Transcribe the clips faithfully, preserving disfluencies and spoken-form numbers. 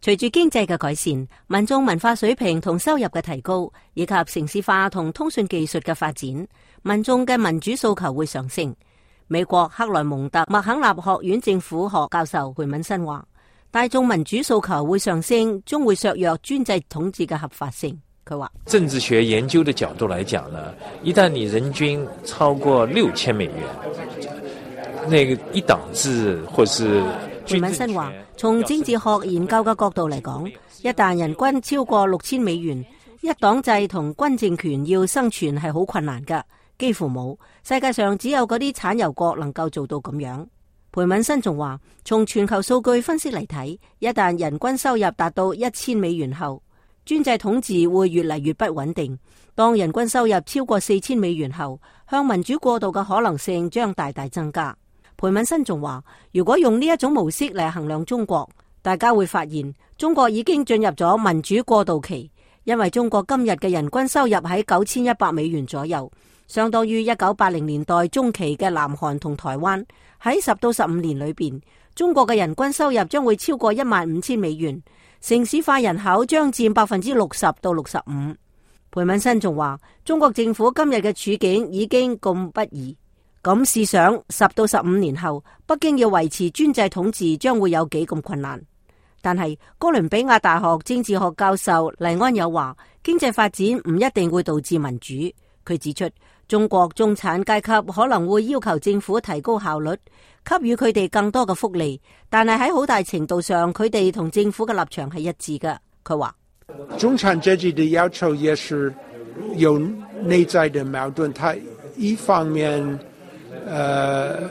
隨住經濟嘅改善，民眾文化水平同收入嘅提高，以及城市化同通訊技術嘅發展，民眾嘅民主訴求會上升。美國克萊蒙特麥肯納學院政府學教授裴敏新話，大眾民主訴求會上升，將會削弱專制統治嘅合法性。佢話，政治學研究的角度來講呢，一旦你人均超過六千美元，那個一黨制或是裴敏新話，從政治學研究嘅角度嚟講，一旦人均超過六千美元，一黨制同軍政權要生存係好困難㗎，幾乎冇。世界上只有嗰啲產油國能夠做到咁樣。裴敏新仲話，從全球數據分析嚟睇，一旦人均收入達到一千美元後，專制統治會越嚟越不穩定。當人均收入超過四千美元後，向民主過渡嘅可能性將大大增加。裴敏新仲話，如果用呢一種模式嚟衡量中國，大家會發現中國已經進入咗民主過渡期，因為中國今日嘅人均收入喺九千一百美元左右，相當於一九八零年代中期嘅南韓同台灣。喺十到十五年裏邊，中國嘅人均收入將會超過一萬五千美元，城市化人口將佔百分之六十到六十五。裴敏新仲話，中國政府今日嘅處境已經咁不易。咁試想，十到十五年後，北京要維持專制統治將會有幾咁困難。但係哥倫比亞大學政治學教授黎安友話，經濟發展唔一定會導致民主。佢指出，中國中產階級可能會要求政府提高效率，給予佢哋更多嘅福利，但係喺好大程度上，佢哋同政府嘅立場係一致嘅。佢話，中產階級的要求也是有內在的矛盾，他一方面呃，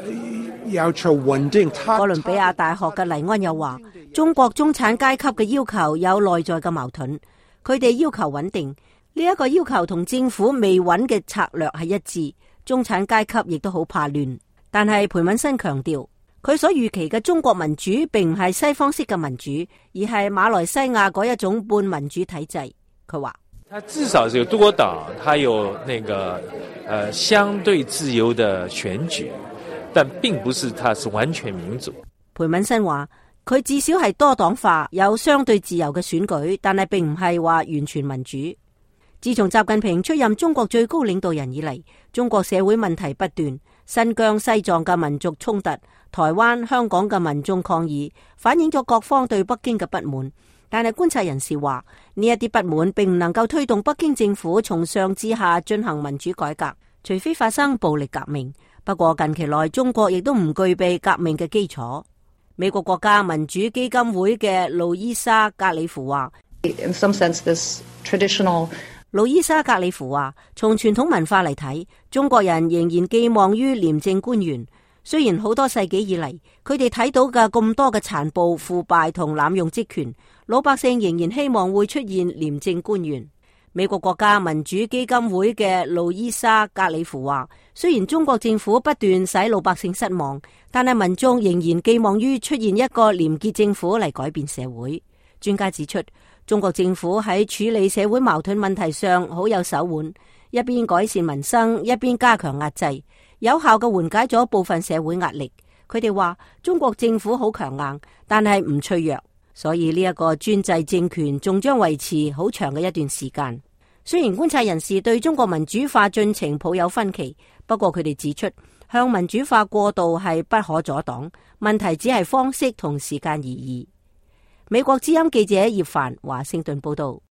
要求穩定。哥倫比亞大學嘅黎安又話，中國中產階級嘅要求有內在嘅矛盾，佢哋要求穩定，呢一個要求同政府未穩嘅策略係一致。中產階級亦都好怕亂，但係裴敏新強調，佢所預期嘅中國民主並唔係西方式嘅民主，而係馬來西亞嗰一種半民主體制。佢話，它至少是有多黨，它有那個呃相對自由的選舉，但並不是它是完全民主。裴敏新話，佢至少係多黨化，有相對自由嘅選舉，但係並唔係話完全民主。自從習近平出任中國最高領導人以嚟，中國社會問題不斷，新疆、西藏嘅民族衝突，台灣、香港嘅民眾抗議，反映咗各方對北京嘅不滿。但係觀察人士話，呢一啲不滿並唔能夠推動北京政府從上至下進行民主改革，除非發生暴力革命。不過近期內中國亦都唔具備革命嘅基礎。美國國家民主基金會嘅路易莎格里夫話， In some sense, this traditional路易莎格里夫話，從傳統文化嚟睇，中國人仍然寄望於廉政官員。雖然好多世紀以嚟，佢哋睇到嘅咁多嘅殘暴、腐敗同濫用職權，老百姓仍然希望會出現廉政官員。美國國家民主基金會嘅路易莎格里夫話，雖然中國政府不斷使老百姓失望，但係民眾仍然寄望於出現一個廉潔政府嚟改變社會。專家指出，中國政府喺處理社會矛盾問題上好有手腕，一邊改善民生，一邊加強壓制，有效嘅緩解咗部分社會壓力。佢哋話中國政府好強硬，但係唔脆弱，所以呢一個專制政權仲將維持好長嘅一段時間。雖然觀察人士對中國民主化進程抱有分歧，不過佢哋指出，向民主化過渡係不可阻擋，問題只係方式同時間而已。美國之音記者葉凡華盛頓報道。